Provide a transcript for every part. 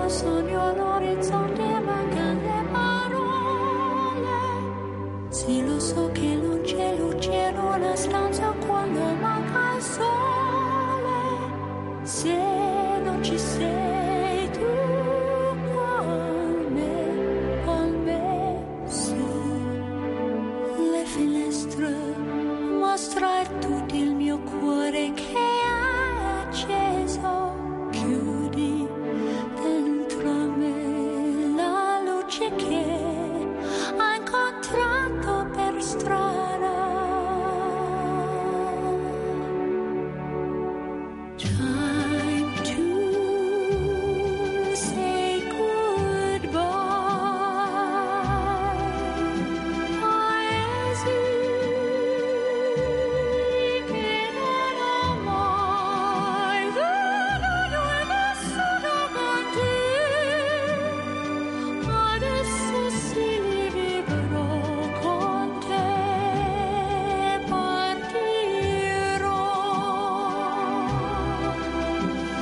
lontano sogno l'orizzonte, mancano le parole. Sì, lo so che non c'è luce in una stanza quando manca il sole. Se non ci sei tu con me, su le finestre mostrar tutto il mio cuore che è acceso. Chiudi dentro me la luce che ho incontrato per strada. Time to say goodbye. Paesi che non ho mai veduto e vissuto con te. Adesso sì vivrò con te. Partirò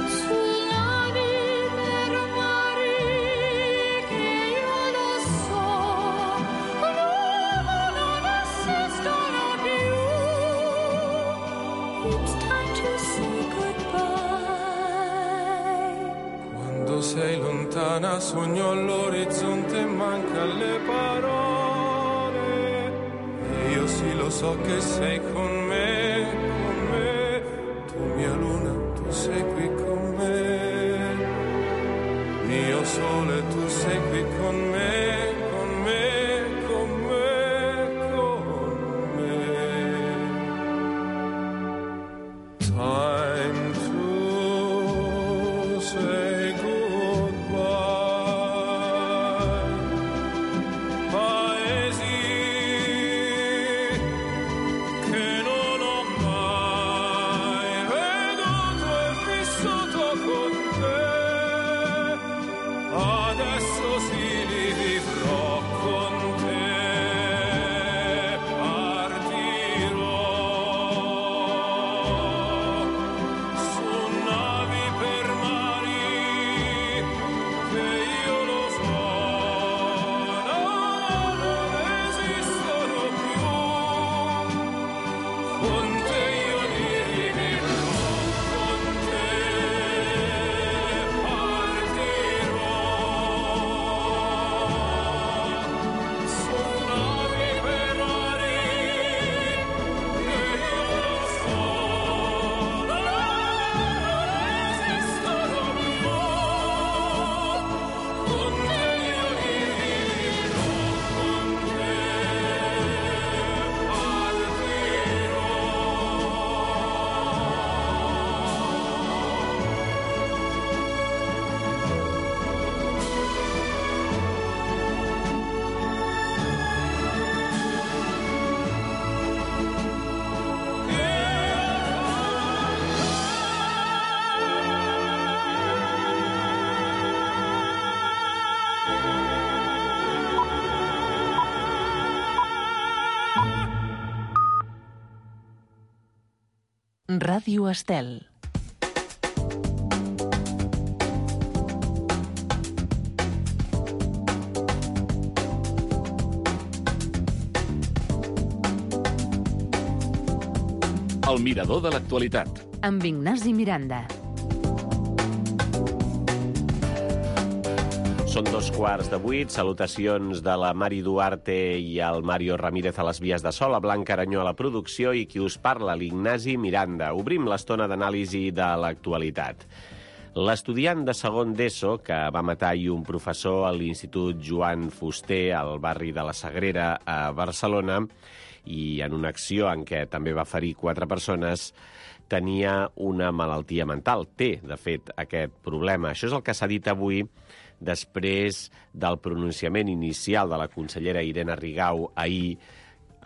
su navi per mari che io lo so l'uomo non esistono più. It's time to say goodbye. Quando sei lontana sogno all'orizzonte e manca le parole. E io sì lo so che sei con me, tu mia luna, tu sei qui con me. Mio sole, tu sei qui con me, con me, con me, con me. Time to say goodbye. Paesi che non ho mai veduto e vissuto con te. Adesso sì li vivrò con te. Partirò su navi per mari che io lo so non esistono più. Con te io li vivrò, con te partirò su navi per mari che io lo so non esistono più. Con te io li vivrò, con te Ràdio Estel. El mirador de l'actualitat. Amb Ignasi Miranda. Són 2:15. Salutacions de la Mari Duarte i el Mario Ramírez a les vies de so, la Blanca Aranyó a la producció i qui us parla, l'Ignasi Miranda. Obrim l'estona d'anàlisi de l'actualitat. L'estudiant de segon d'ESO que va matar ahir un professor a l'Institut Joan Fuster al barri de la Sagrera a Barcelona i en una acció en què també va ferir 4 persones, tenia una malaltia mental. Té, de fet, aquest problema. Això és el que s'ha dit avui després del pronunciament inicial de la consellera Irene Rigau ahir,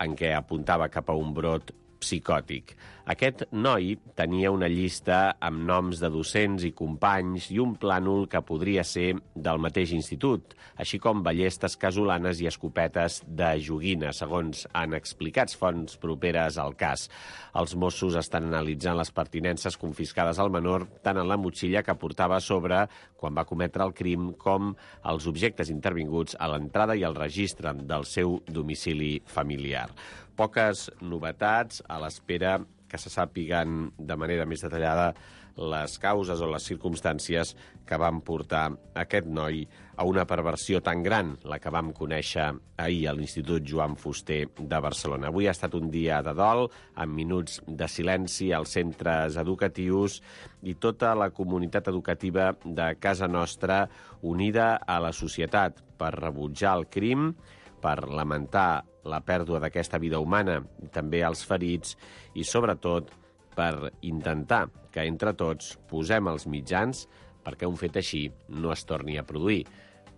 en què apuntava cap a un brot psicòtic. Aquest noi tenia una llista amb noms de docents i companys i un plànol que podria ser del mateix institut, així com ballestes casolanes i escopetes de joguina, segons han explicat fonts properes al cas. Els Mossos estan analitzant les pertinences confiscades al menor tant en la motxilla que portava a sobre quan va cometre el crim com els objectes intervinguts a l'entrada i al registre del seu domicili familiar. Poques novetats a l'espera que se sàpiguen de manera més detallada les causes o les circumstàncies que van portar aquest noi a una perversió tan gran, la que vam conèixer ahir a l'Institut Joan Fuster de Barcelona. Avui ha estat un dia de dol, amb minuts de silenci als centres educatius i tota la comunitat educativa de casa nostra unida a la societat per rebutjar el crim, per lamentar la pèrdua d'aquesta vida humana, també als ferits, i sobretot per intentar que entre tots posem els mitjans perquè un fet així no es torni a produir,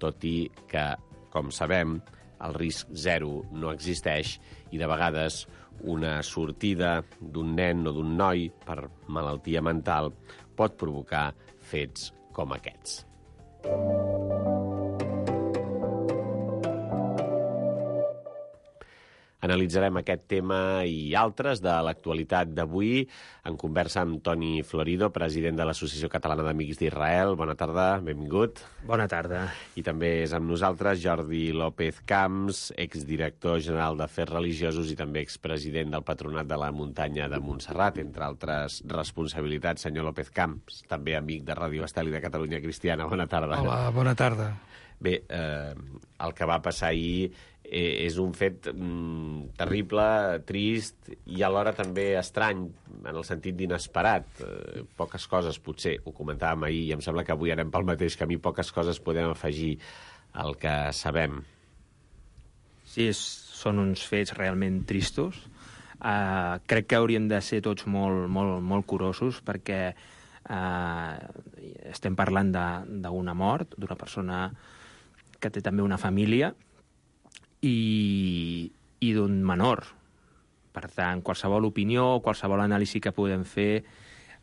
tot i que, com sabem, el risc zero no existeix i de vegades una sortida d'un nen o d'un noi per malaltia mental pot provocar fets com aquests. Analitzarem aquest tema i altres de l'actualitat d'avui en conversa amb Toni Florido, president de l'Associació Catalana d'Amics d'Israel. Bona tarda, benvingut. Bona tarda. I també és amb nosaltres Jordi López Camps, exdirector general d'Afers Religiosos i també expresident del Patronat de la Muntanya de Montserrat, entre altres responsabilitats. Senyor López Camps, també amic de Ràdio Estel i de Catalunya Cristiana. Bona tarda. Hola, bona tarda. Bé, el que va passar ahir és un fet terrible, trist i alhora també estrany, en el sentit d'inesperat. Poques coses, potser, ho comentàvem ahir, i em sembla que avui anem pel mateix camí, poques coses podem afegir al que sabem. Sí, són uns fets realment tristos. Crec que hauríem de ser tots molt curosos perquè estem parlant d'una mort, d'una persona que té també una família, i d'un menor. Per tant, qualsevol opinió, qualsevol anàlisi que podem fer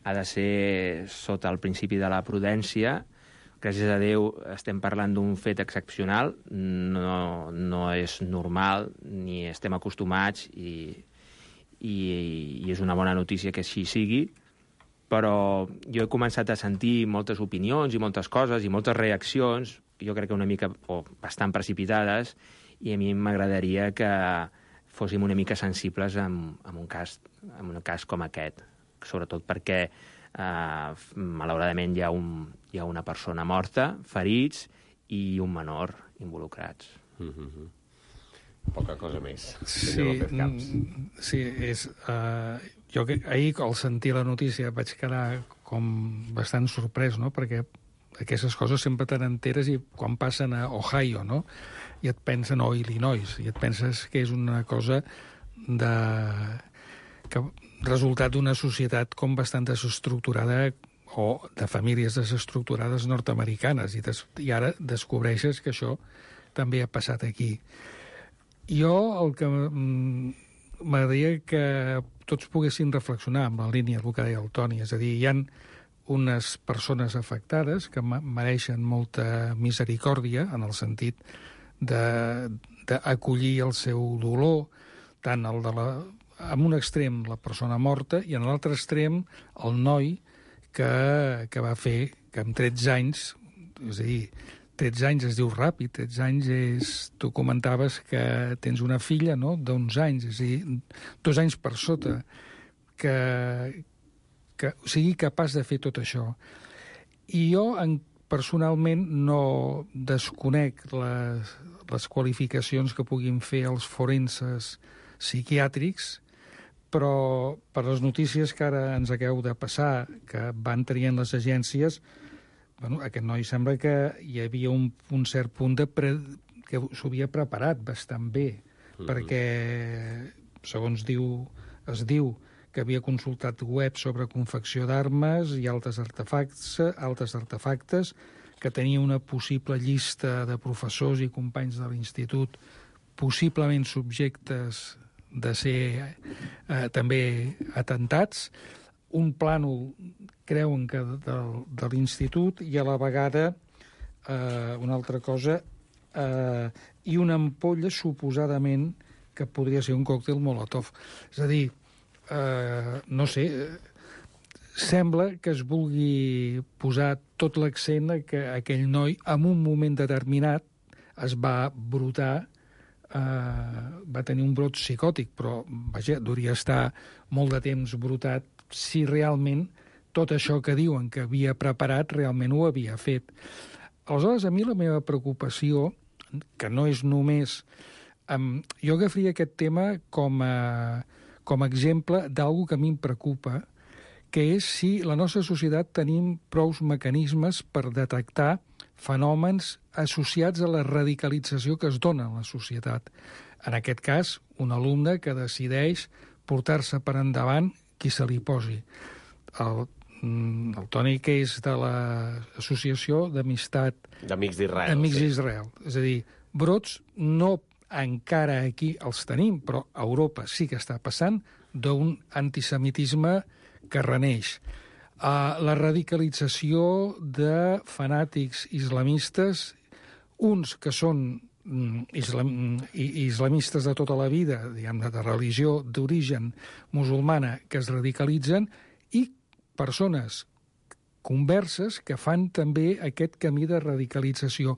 ha de ser sota el principi de la prudència. Gràcies a Déu estem parlant d'un fet excepcional, no és normal ni estem acostumats i és una bona notícia que així sigui, però jo he començat a sentir moltes opinions i moltes coses i moltes reaccions, jo crec que una mica o bastant precipitades, i a mi m'agradaria que fóssim una mica sensibles en un cas com aquest, sobretot perquè malauradament hi ha una persona morta, ferits i un menor involucrats. Poca cosa més. Sí, jo ahir al sentir la notícia vaig quedar com bastant sorprès, no?, perquè aquestes coses sempre te n'enteres i quan passen a Ohio, no?, i et pensen, o Illinois, i et penses que és una cosa que resultat d'una societat com bastant desestructurada o de famílies desestructurades nord-americanes, i ara descobreixes que això també ha passat aquí. Jo el que m'agradaria que tots poguessin reflexionar amb la línia del que deia el Toni, és a dir, hi ha unes persones afectades que mereixen molta misericòrdia en el sentit d'acollir el seu dolor, tant en un extrem la persona morta i en l'altre extrem el noi que va fer que amb 13 anys, és a dir, 13 anys es diu ràpid, 13 anys és... Tu comentaves que tens una filla, no?, d'11 anys, és a dir, 2 anys per sota, que sigui capaç de fer tot això. I jo, personalment, no desconec les qualificacions que puguin fer els forenses psiquiàtrics, però per les notícies que ara ens acabeu de passar, que van traient les agències, bueno, aquest noi sembla que hi havia un cert punt que s'ho havia preparat bastant bé, perquè, segons es diu que havia consultat web sobre confecció d'armes i altres artefactes, que tenia una possible llista de professors i companys de l'institut possiblement subjectes de ser també atentats. Un plànol, creuen que de l'institut, i a la vegada una altra cosa, i una ampolla suposadament que podria ser un còctel Molotov. És a dir, no sé, sembla que es vulgui posar tot l'accent que aquell noi, en un moment determinat, es va brotar, va tenir un brot psicòtic, però, vaja, hauria estar molt de temps brotat si realment tot això que diuen que havia preparat realment ho havia fet. Aleshores, a mi la meva preocupació, que no és només... jo agafaria aquest tema com a exemple d'alguna que a mi em preocupa, que és si la nostra societat tenim prous mecanismes per detectar fenòmens associats a la radicalització que es dona en la societat. En aquest cas, un alumne que decideix portar-se per endavant qui se li posi. El Toni, que és de l'Associació d'Amistat... D'Amics d'Israel. Amics d'Israel. És a dir, brots no encara aquí els tenim, però a Europa sí que està passant d'un antisemitisme que reneix. La radicalització de fanàtics islamistes, uns que són islamistes de tota la vida, diguem-ne, de religió d'origen musulmana, que es radicalitzen, i persones converses que fan també aquest camí de radicalització.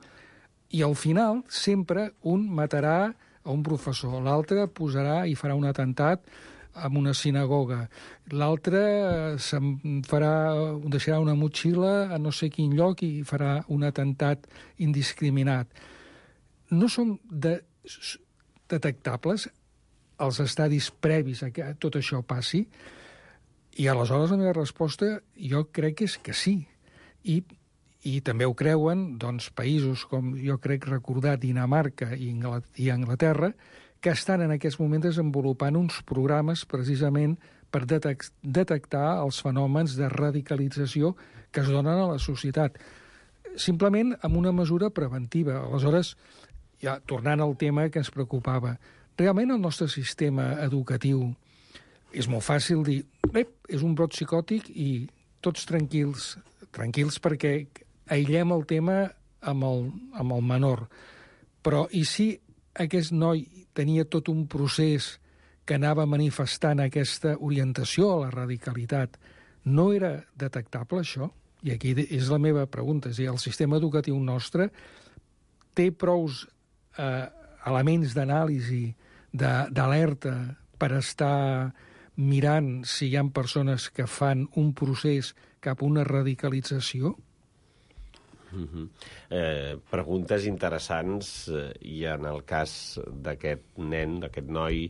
I al final, sempre, un matarà a un professor, l'altre posarà i farà un atemptat en una sinagoga, l'altre deixarà una motxilla a no sé quin lloc i farà un atemptat indiscriminat. No són detectables els estadis previs a que tot això passi? I aleshores la meva resposta jo crec que és que sí. I també ho creuen doncs, països com jo crec recordar Dinamarca i Anglaterra, que estan en aquests moments desenvolupant uns programes precisament per detectar els fenòmens de radicalització que es donen a la societat. Simplement amb una mesura preventiva. Aleshores, ja tornant al tema que ens preocupava, realment el nostre sistema educatiu és molt fàcil dir, és un brot psicòtic i tots tranquils perquè aïllem el tema amb el menor. Però i si aquest noi tenia tot un procés que anava manifestant aquesta orientació a la radicalitat, no era detectable això? I aquí és la meva pregunta. És a dir, el sistema educatiu nostre té prous elements d'anàlisi, d'alerta, per estar mirant si hi ha persones que fan un procés cap a una radicalització? Preguntes interessants, i en el cas d'aquest nen, d'aquest noi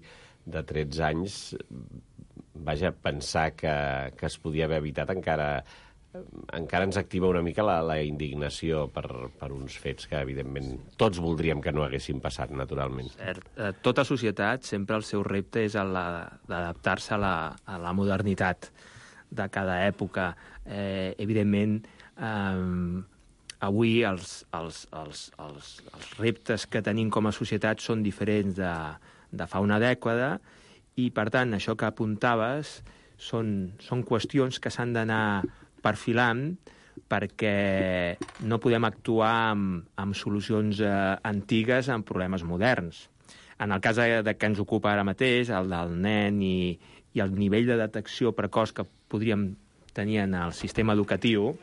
de 13 anys, vaja, pensar que es podia haver evitat encara ens activa una mica la indignació per uns fets que, evidentment, tots voldríem que no haguessin passat, naturalment. Cert. Tota societat, sempre el seu repte és d'adaptar-se a la modernitat de cada època. Evidentment, avui els reptes que tenim com a societat són diferents de fa una dècada i, per tant, això que apuntaves són qüestions que s'han d'anar perfilant perquè no podem actuar amb solucions antigues amb problemes moderns. En el cas que ens ocupa ara mateix, el del nen i el nivell de detecció precoç que podríem tenir en el sistema educatiu,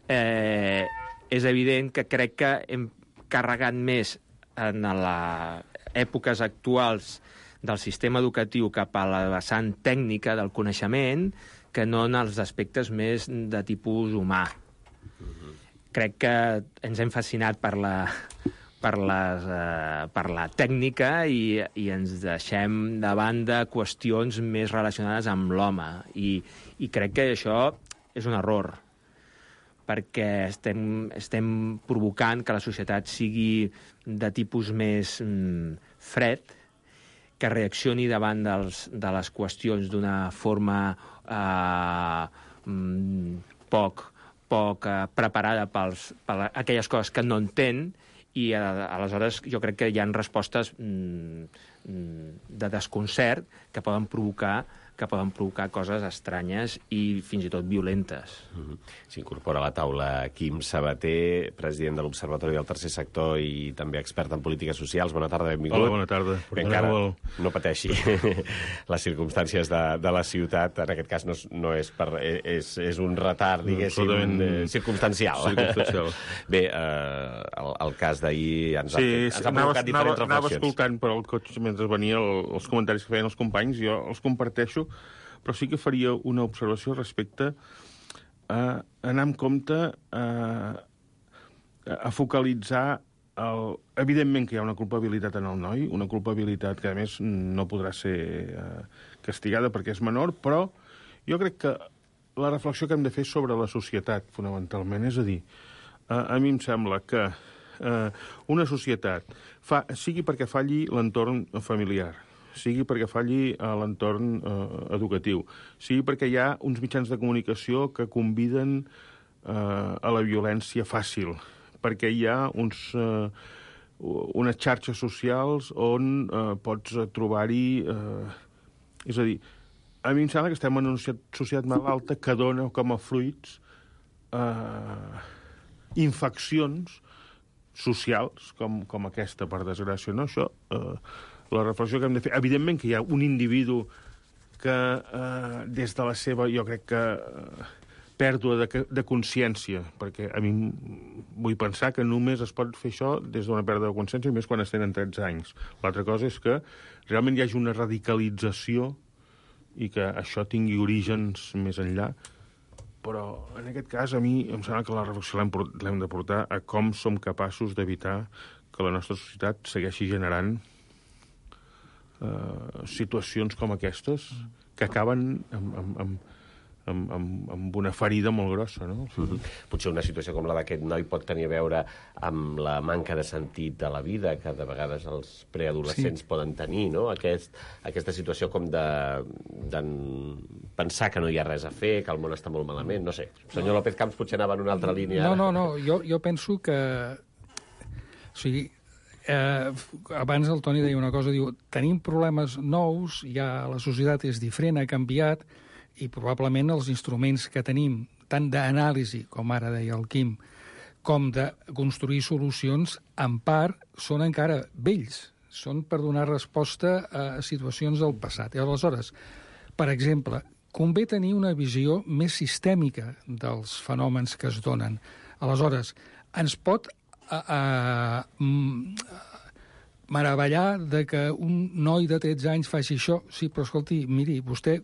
és evident que crec que hem carregat més en les èpoques actuals del sistema educatiu cap a la vessant tècnica del coneixement que no en els aspectes més de tipus humà. Crec que ens hem fascinat per la tècnica i ens deixem de banda qüestions més relacionades amb l'home. I crec que això és un error, perquè estem provocant que la societat sigui de tipus més fred, que reaccioni davant de les qüestions d'una forma poc preparada per aquelles coses que no entén, i aleshores jo crec que hi ha respostes de desconcert que poden provocar coses estranyes i fins i tot violentes. S'incorpora a la taula Quim Sabater, president de l'Observatori del Tercer Sector i també expert en polítiques socials. Bona tarda, benvingut. Hola, bona tarda. Encara no pateixi les circumstàncies de la ciutat. En aquest cas no és per... És un retard, diguéssim, circumstancial. Bé, el cas d'ahir ens ha provocat diferents reflexions. Anava escoltant per al cotxe mentre venia els comentaris que feien els companys, jo els comparteixo, però sí que faria una observació respecte a anar amb compte a focalitzar evidentment que hi ha una culpabilitat en el noi, una culpabilitat que, a més, no podrà ser castigada perquè és menor, però jo crec que la reflexió que hem de fer és sobre la societat, fonamentalment. És a dir, a mi em sembla que una societat, sigui perquè falli l'entorn familiar, sigui perquè falli l'entorn educatiu, sigui perquè hi ha uns mitjans de comunicació que conviden a la violència fàcil, perquè hi ha unes xarxes socials on pots trobar-hi... És a dir, a mi em sembla que estem en una societat malalta que dona com a fruits infeccions socials com aquesta, per desgràcia. No? Això... la reflexió que hem de fer... Evidentment que hi ha un individu que, des de la seva, jo crec que, pèrdua de consciència, perquè a mi vull pensar que només es pot fer això des d'una pèrdua de consciència, més quan es tenen 13 anys. L'altra cosa és que realment hi hagi una radicalització i que això tingui orígens més enllà. Però, en aquest cas, a mi em sembla que la reflexió l'hem de portar a com som capaços d'evitar que la nostra societat segueixi generant situacions com aquestes que acaben amb una ferida molt grossa, no? Potser una situació com la d'aquest noi pot tenir a veure amb la manca de sentit de la vida que de vegades els preadolescents poden tenir, no? Aquesta situació com de pensar que no hi ha res a fer, que el món està molt malament, no sé. Senyor López Camps potser anava en una altra línia. No, jo penso que... O sigui, abans el Toni deia una cosa, diu, tenim problemes nous, ja la societat és diferent, ha canviat, i probablement els instruments que tenim, tant d'anàlisi, com ara deia el Quim, com de construir solucions, en part, són encara vells. Són per donar resposta a situacions del passat. I aleshores, per exemple, convé tenir una visió més sistèmica dels fenòmens que es donen. Aleshores, ens pot meravellar de que un noi de 13 anys faci això. Sí, però escolti, miri, vostè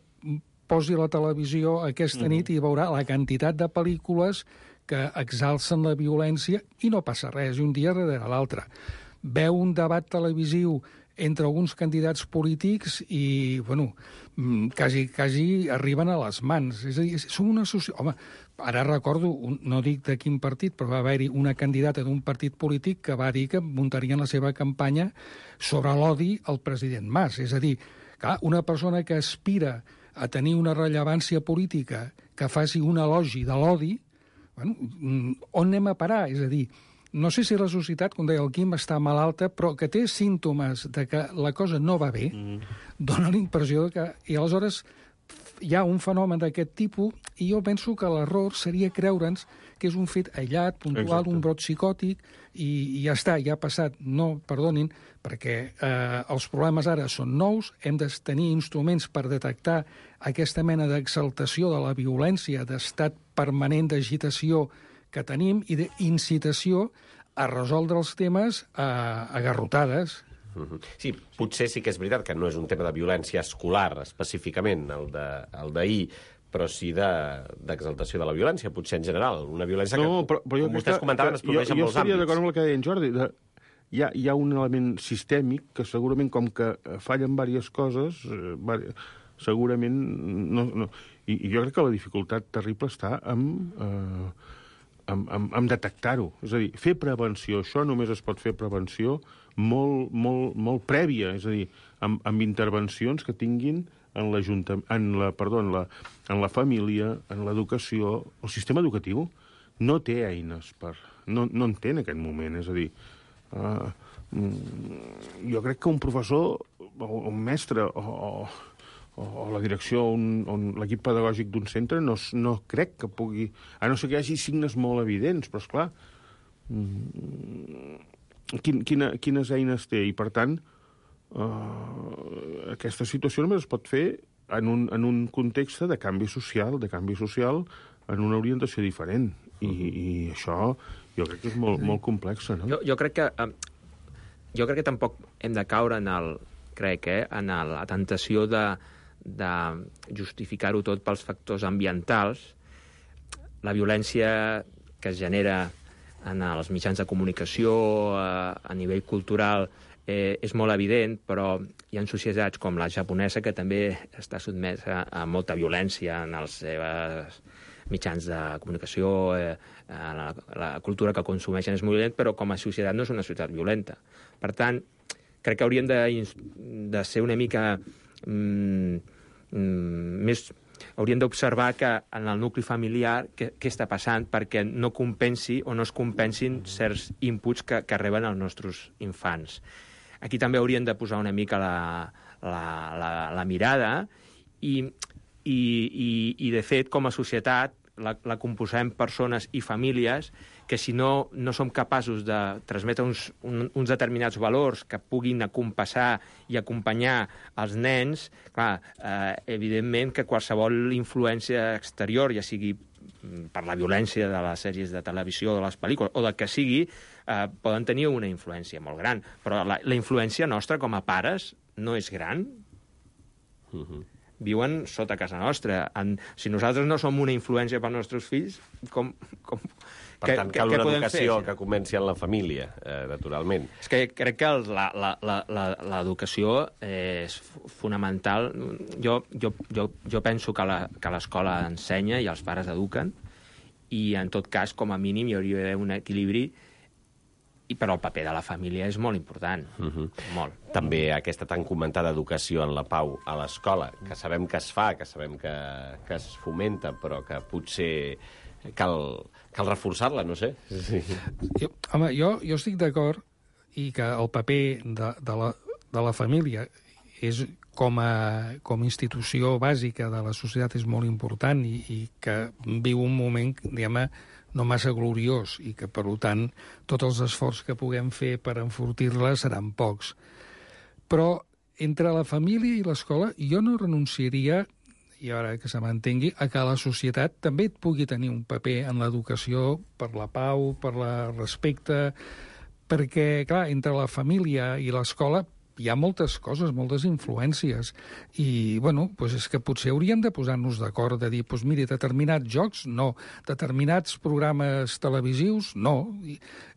posi la televisió aquesta nit i veurà la quantitat de pel·lícules que exalcen la violència i no passa res, un dia darrere l'altre. Veu un debat televisiu entre alguns candidats polítics i, bueno, quasi arriben a les mans. És a dir, som una societat... Home, ara recordo, no dic de quin partit, però va haver-hi una candidata d'un partit polític que va dir que muntarien la seva campanya sobre l'odi al president Mas. És a dir, clar, una persona que aspira a tenir una rellevància política que faci un elogi de l'odi, bueno, on anem a parar? És a dir, no sé si la societat, com deia el Quim, està malalta, però que té símptomes de que la cosa no va bé, dona la impressió que... I aleshores hi ha un fenomen d'aquest tipus i jo penso que l'error seria creure'ns que és un fet aïllat, puntual, un brot psicòtic, i ja està, ja ha passat. No, perdonin, perquè els problemes ara són nous, hem de tenir instruments per detectar aquesta mena d'exaltació de la violència, d'estat permanent d'agitació que tenim i d'incitació a resoldre els temes a garrotades. Sí, potser sí que és veritat que no és un tema de violència escolar, específicament, el d'ahir, però sí d'exaltació de la violència, potser en general. Una violència que, com vostès comentaven, es produeix en molts àmbits. Jo estaria d'acord amb el que deia en Jordi. Hi ha un element sistèmic que segurament, com que fallen diverses coses, segurament... I jo crec que la dificultat terrible està en detectar-ho. És a dir, fer prevenció. Això només es pot fer prevenció molt prèvia, és a dir, amb intervencions que tinguin en la família, en l'educació. El sistema educatiu no té eines no en té en aquest moment, és a dir, jo crec que un professor un mestre o la direcció o l'equip pedagògic d'un centre no crec que pugui... A no ser que hi hagi signes molt evidents, però, esclar, quines eines té? I, per tant, aquesta situació només es pot fer en un context de canvi social en una orientació diferent. I això jo crec que és molt complex, no? Jo crec que tampoc hem de caure en la tentació de justificar-ho tot pels factors ambientals. La violència que es genera en els mitjans de comunicació, a nivell cultural, és molt evident, però hi ha societats com la japonesa que també està sotmesa a molta violència en els seus mitjans de comunicació, la cultura que consumeixen és molt violent, però com a societat no és una societat violenta. Per tant, crec que hauríem de ser una mica més... Hauríem d'observar que en el nucli familiar què està passant perquè no compensi o no es compensin certs inputs que reben els nostres infants. Aquí també hauríem de posar una mica la mirada i, de fet, com a societat, la composem persones i famílies que si no som capaços de transmetre uns determinats valors que puguin acompassar i acompanyar els nens, clar, evidentment que qualsevol influència exterior, ja sigui per la violència de les sèries de televisió, de les pel·lícules, o del que sigui, poden tenir una influència molt gran. Però la influència nostra com a pares no és gran. Viuen sota casa nostra. Si nosaltres no som una influència pels nostres fills, per tant, cal una educació que comenci en la família, naturalment. És que crec que l'educació és fonamental. Jo penso que l'escola ensenya i els pares eduquen, i en tot cas, com a mínim, hi hauria d'haver un equilibri, però el paper de la família és molt important, molt. També aquesta tan comentada educació en la pau a l'escola, que sabem que es fa, que sabem que es fomenta, però que potser cal reforçar-la, no sé. Sí. Jo estic d'acord i que el paper de la família és com a institució bàsica de la societat és molt important i que viu un moment, diguem-ne, no massa gloriós i que, per tant, tots els esforços que puguem fer per enfortir-la seran pocs. Però entre la família i l'escola jo no renunciaria, i ara que se m'entengui, a que la societat també pugui tenir un paper en l'educació per la pau, per el respecte, perquè, clar, entre la família i l'escola hi ha moltes coses, moltes influències. I, bueno, doncs és que potser hauríem de posar-nos d'acord, de dir, doncs miri, determinats jocs, no. Determinats programes televisius, no.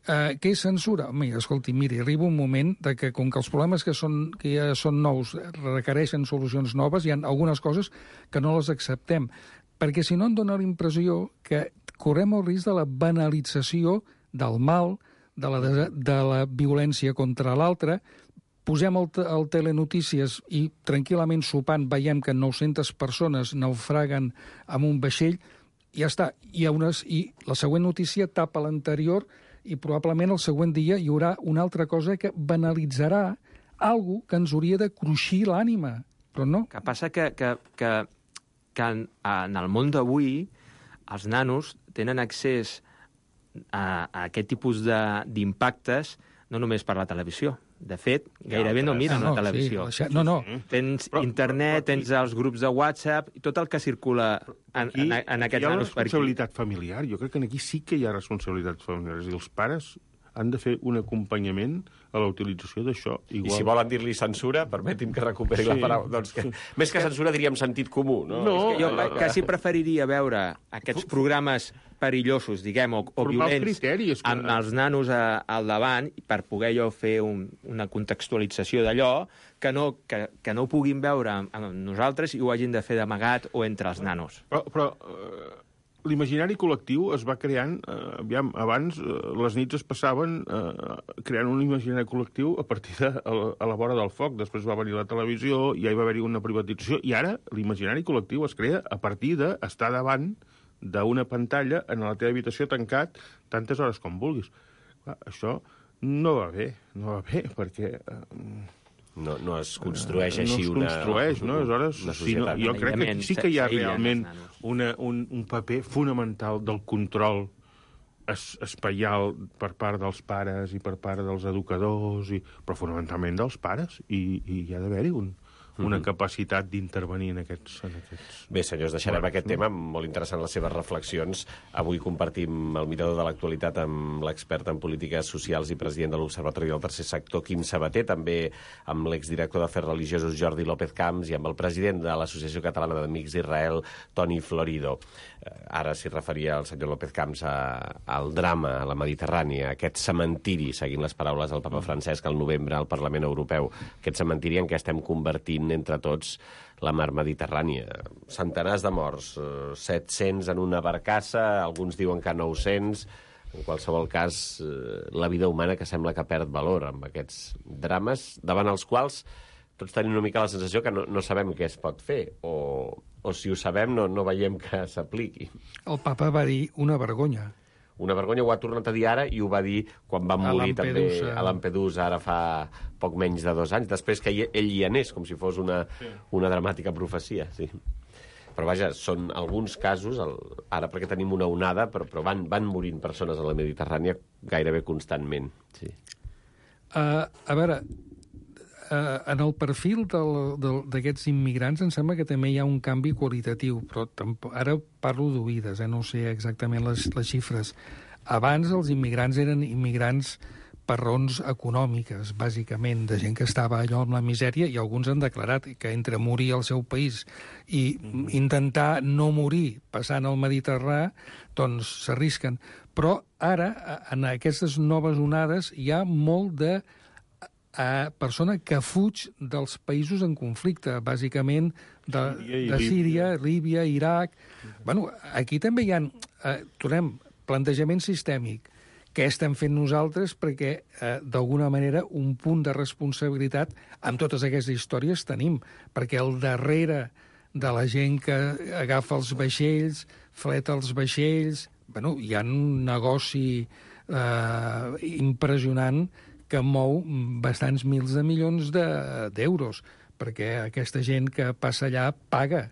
Què és censura? Escolti, miri, arriba un moment de que, com que els problemes que ja són nous requereixen solucions noves, hi ha algunes coses que no les acceptem. Perquè si no em dóna la impressió que correm el risc de la banalització del mal, de la violència contra l'altre. Posem el telenotícies i tranquil·lament sopant veiem que 900 persones naufraguen amb un vaixell i ja està. I la següent notícia tapa l'anterior i probablement el següent dia hi haurà una altra cosa que banalitzarà alguna que ens hauria de cruixir l'ànima. Però no. Que passa que en el món d'avui els nanos tenen accés a aquest tipus d'impactes no només per la televisió. De fet, gairebé no miren la televisió. Sí, no. Tens internet, tens els grups de WhatsApp, i tot el que circula en aquests nanos per aquí. Hi ha una responsabilitat familiar. Jo crec que aquí sí que hi ha responsabilitats familiars. I els pares han de fer un acompanyament a la utilització d'això. I si volen dir-li censura, permeti'm que recuperi la paraula. Doncs més que censura diríem sentit comú, no? Jo quasi preferiria veure aquests programes perillosos, diguem, o violents, amb els nanos al davant, per poder jo fer una contextualització d'allò, que no ho puguin veure amb nosaltres i ho hagin de fer d'amagat o entre els nanos. Però l'imaginari col·lectiu es va creant, abans les nits es passaven creant un imaginari col·lectiu a partir a la vora del foc, després va venir la televisió, ja hi va haver-hi una privatització, i ara l'imaginari col·lectiu es crea a partir d'estar davant d'una pantalla en la teva habitació tancat tantes hores com vulguis. Clar, això no va bé, perquè No es construeix així una societat. Jo crec que sí que hi ha realment un paper fonamental del control espaial per part dels pares i per part dels educadors, però fonamentalment dels pares, i hi ha d'haver-hi una capacitat d'intervenir en aquests... Bé, senyors, deixarem aquest tema. Molt interessant les seves reflexions. Avui compartim el mirador de l'actualitat amb l'expert en polítiques socials i president de l'Observatori del Tercer Sector, Quim Sabater, també amb l'exdirector d'Afers Religiosos, Jordi López Camps, i amb el president de l'Associació Catalana d'Amics d'Israel, Toni Florido. Ara s'hi referia el senyor López Camps al drama a la Mediterrània, aquest cementiri, seguint les paraules del papa Francesc al novembre al Parlament Europeu, aquest cementiri en què estem convertint entre tots la mar Mediterrània. Centenars de morts, 700 en una barcassa, alguns diuen que 900. En qualsevol cas, la vida humana que sembla que perd valor amb aquests drames, davant els quals tots tenim una mica la sensació que no sabem què es pot fer, o si ho sabem no veiem que s'apliqui. El papa va dir una vergonya. Una vergonya, ho ha tornat a dir ara, i ho va dir quan van morir també a Lampedusa, ara fa poc menys de 2 anys, després que ell hi anés, com si fos una dramàtica profecia. Sí. Però vaja, són alguns casos, ara perquè tenim una onada, però van morint persones a la Mediterrània gairebé constantment. Sí. A veure, en el perfil d'aquests immigrants em sembla que també hi ha un canvi qualitatiu, però ara parlo d'oïdes, no sé exactament les xifres. Abans els immigrants eren immigrants per raons econòmiques, bàsicament, de gent que estava allò amb la misèria, i alguns han declarat que entre morir al seu país i intentar no morir passant el Mediterrani, doncs s'arrisquen. Però ara, en aquestes noves onades, hi ha molt de persona que fuig dels països en conflicte, bàsicament de Síria, Líbia, Iraq. Bueno, aquí també hi ha, tornem, plantejament sistèmic. Què estem fent nosaltres? Perquè, d'alguna manera, un punt de responsabilitat amb totes aquestes històries tenim, perquè al darrere de la gent que agafa els vaixells, fleta els vaixells, bueno, hi ha un negoci impressionant que mou bastants mils de milions d'euros, perquè aquesta gent que passa allà paga.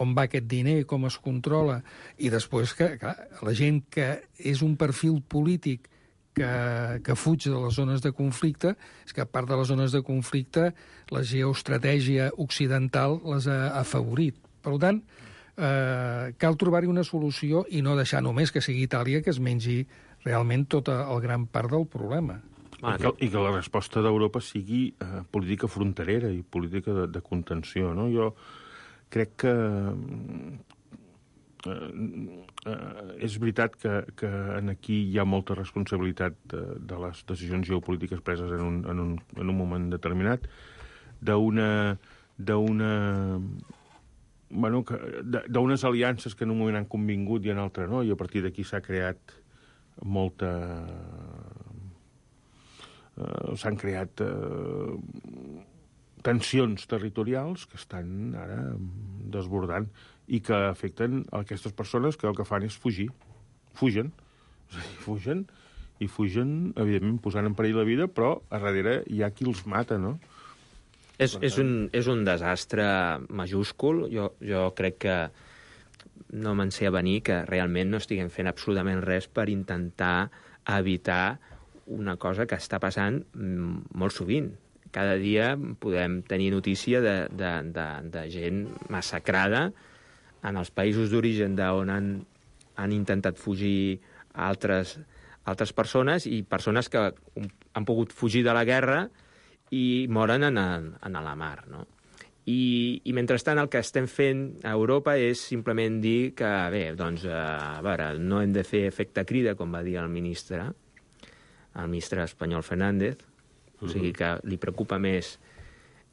On va aquest diner, com es controla, i després que, clar, la gent que és un perfil polític que fuig de les zones de conflicte, és que a part de les zones de conflicte, la geoestratègia occidental les ha afavorit. Per tant, cal trobar-hi una solució i no deixar només que sigui Itàlia que es mengi realment tota el gran part del problema. I que la resposta d'Europa sigui política fronterera i política de contenció, no? Jo crec que és veritat que aquí hi ha molta responsabilitat de les decisions geopolítiques preses en un moment determinat, d'unes aliances que en un moment han convingut i en altre no, i a partir d'aquí s'ha creat s'han creat tensions territorials que estan ara desbordant i que afecten aquestes persones que el que fan és fugir. Fugen. És a dir, fugen, evidentment, posant en perill la vida, però a darrere hi ha qui els mata, no? És un desastre majúscul. Jo crec que no me'n sé avenir que realment no estiguem fent absolutament res per intentar evitar una cosa que està passant molt sovint. Cada dia podem tenir notícia de gent massacrada en els països d'origen d'on han intentat fugir altres persones i persones que han pogut fugir de la guerra i moren en la mar, no? I mentrestant el que estem fent a Europa és simplement dir que, bé, doncs, a veure, no hem de fer efecte crida, com va dir el ministre espanyol Fernández, o sigui que li preocupa més,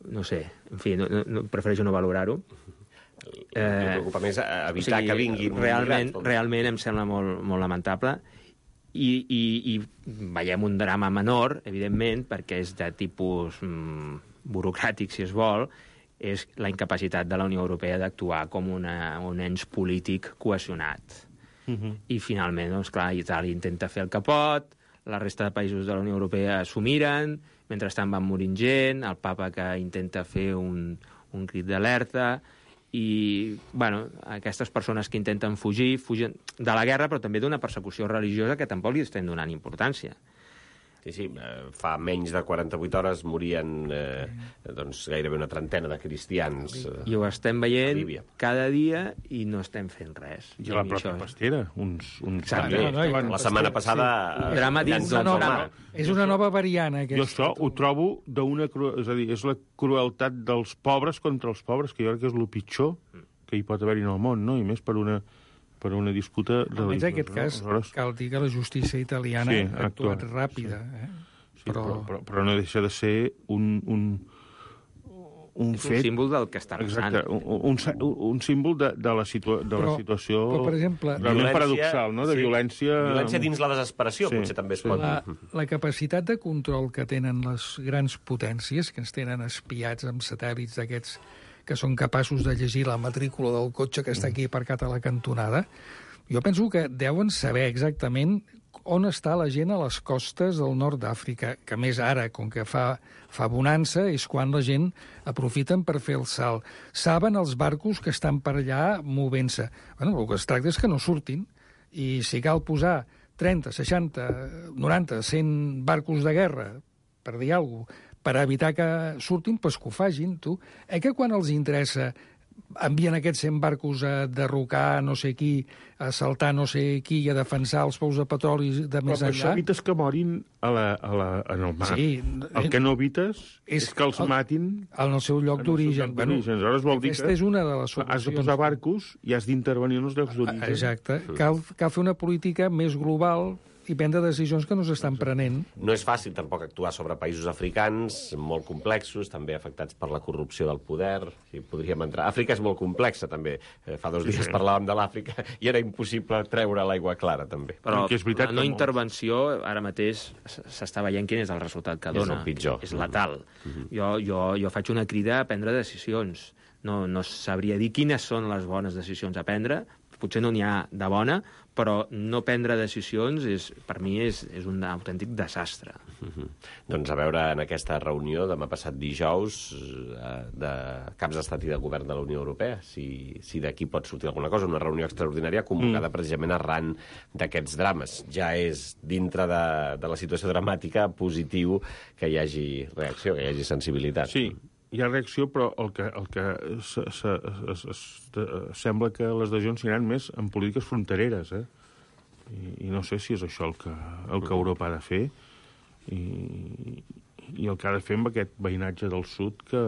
no sé, en fi, prefereixo no valorar-ho. Li preocupa més evitar que vinguin... Realment em sembla molt lamentable i veiem un drama menor, evidentment, perquè és de tipus burocràtic, si es vol, és la incapacitat de la Unió Europea d'actuar com un ens polític cohesionat. I finalment, doncs clar, Itàlia intenta fer el que pot, la resta de països de la Unió Europea s'ho miren, mentrestant van morint gent, el papa que intenta fer un crit d'alerta, i, bueno, aquestes persones que intenten fugir, fugen de la guerra, però també d'una persecució religiosa que tampoc li estem donant importància. Sí, fa menys de 48 hores morien doncs, gairebé una trentena de cristians. I ho estem veient cada dia i no estem fent res. I a la pròpia pastera, La setmana passada... Drama dins del drama. És una nova variant, aquesta. Jo això ho trobo és a dir, és la crueltat dels pobres contra els pobres, que jo crec que és el pitjor que hi pot haver-hi en el món, no? I més per una disputa religiosa. Almenys en aquest cas, cal dir que la justícia italiana ha actuat ràpida. Sí, però no deixa de ser un fet... Un símbol del que està passant. Exacte, un símbol de la situació però, per exemple, realment paradoxal, no? De violència... Violència dins la desesperació, potser també es pot... La capacitat de control que tenen les grans potències, que ens tenen espiats amb satèl·lits d'aquests que són capaços de llegir la matrícula del cotxe que està aquí aparcat a la cantonada, jo penso que deuen saber exactament on està la gent a les costes del nord d'Àfrica, que més ara, com que fa bonança, és quan la gent aprofiten per fer el salt. Saben els barcos que estan per allà movent-se. Bueno, el que es tracta és que no surtin, i si cal posar 30, 60, 90, 100 barcos de guerra, per dir alguna cosa, per evitar que surtin, doncs que ho fagin, tu. Que quan els interessa envien aquests 100 barcos a derrocar no sé qui, a assaltar no sé qui i a defensar els pous de petroli de més enllà... Però això evites que morin en el mar. Sí, el que no evites és que els matin... En el seu lloc d'origen. Aleshores vol dir aquesta és una de les solucions. Has de posar barcos i has d'intervenir en els llocs d'origen. Exacte. Cal fer una política més global i prendre decisions que no s'estan prenent. No és fàcil tampoc actuar sobre països africans, molt complexos, també afectats per la corrupció del poder. Si podríem entrar... Àfrica és molt complexa, també. Fa 2 dies parlàvem de l'Àfrica i era impossible treure l'aigua clara, també. Però la no intervenció, ara mateix, s'està veient quin és el resultat que dona. És el pitjor. És letal. Jo faig una crida a prendre decisions. No sabria dir quines són les bones decisions a prendre, potser no n'hi ha de bona, però no prendre decisions per mi és un autèntic desastre. Doncs a veure, en aquesta reunió demà passat dijous de caps d'estat i de govern de la Unió Europea, si d'aquí pot sortir alguna cosa, una reunió extraordinària convocada precisament arran d'aquests drames. Ja és, dintre de la situació dramàtica, positiu que hi hagi reacció, que hi hagi sensibilitat. Sí, hi ha reacció, però el que sembla que les decisions seran més en polítiques frontereres, I no sé si és això el que Europa ha de fer i el que ha de fer amb aquest veïnatge del sud que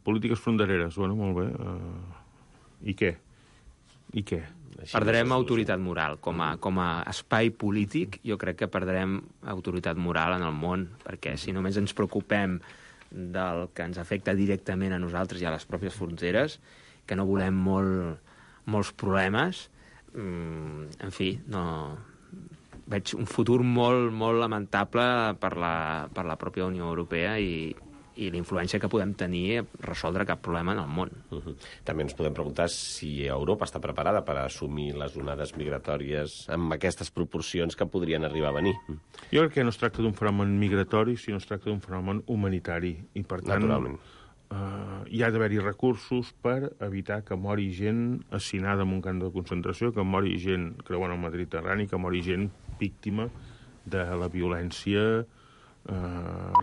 polítiques frontereres, bueno, molt bé. I què? Perdrem autoritat moral. Com a espai polític, jo crec que perdrem autoritat moral en el món, perquè si només ens preocupem del que ens afecta directament a nosaltres i a les pròpies fronteres, que no volem molts problemes, en fi, no... Veig un futur molt, molt lamentable per la pròpia Unió Europea i la influència que podem tenir a resoldre cap problema en el món. També ens podem preguntar si Europa està preparada per assumir les onades migratòries amb aquestes proporcions que podrien arribar a venir. Jo crec que no es tracta d'un fenomen migratori, sinó es tracta d'un fenomen humanitari. I, per tant, hi ha d'haver-hi recursos per evitar que mori gent assinada en un camp de concentració, que mori gent creuant el Mediterrani, que mori gent víctima de la violència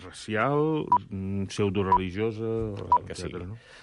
racial, pseudoreligiosa, etc.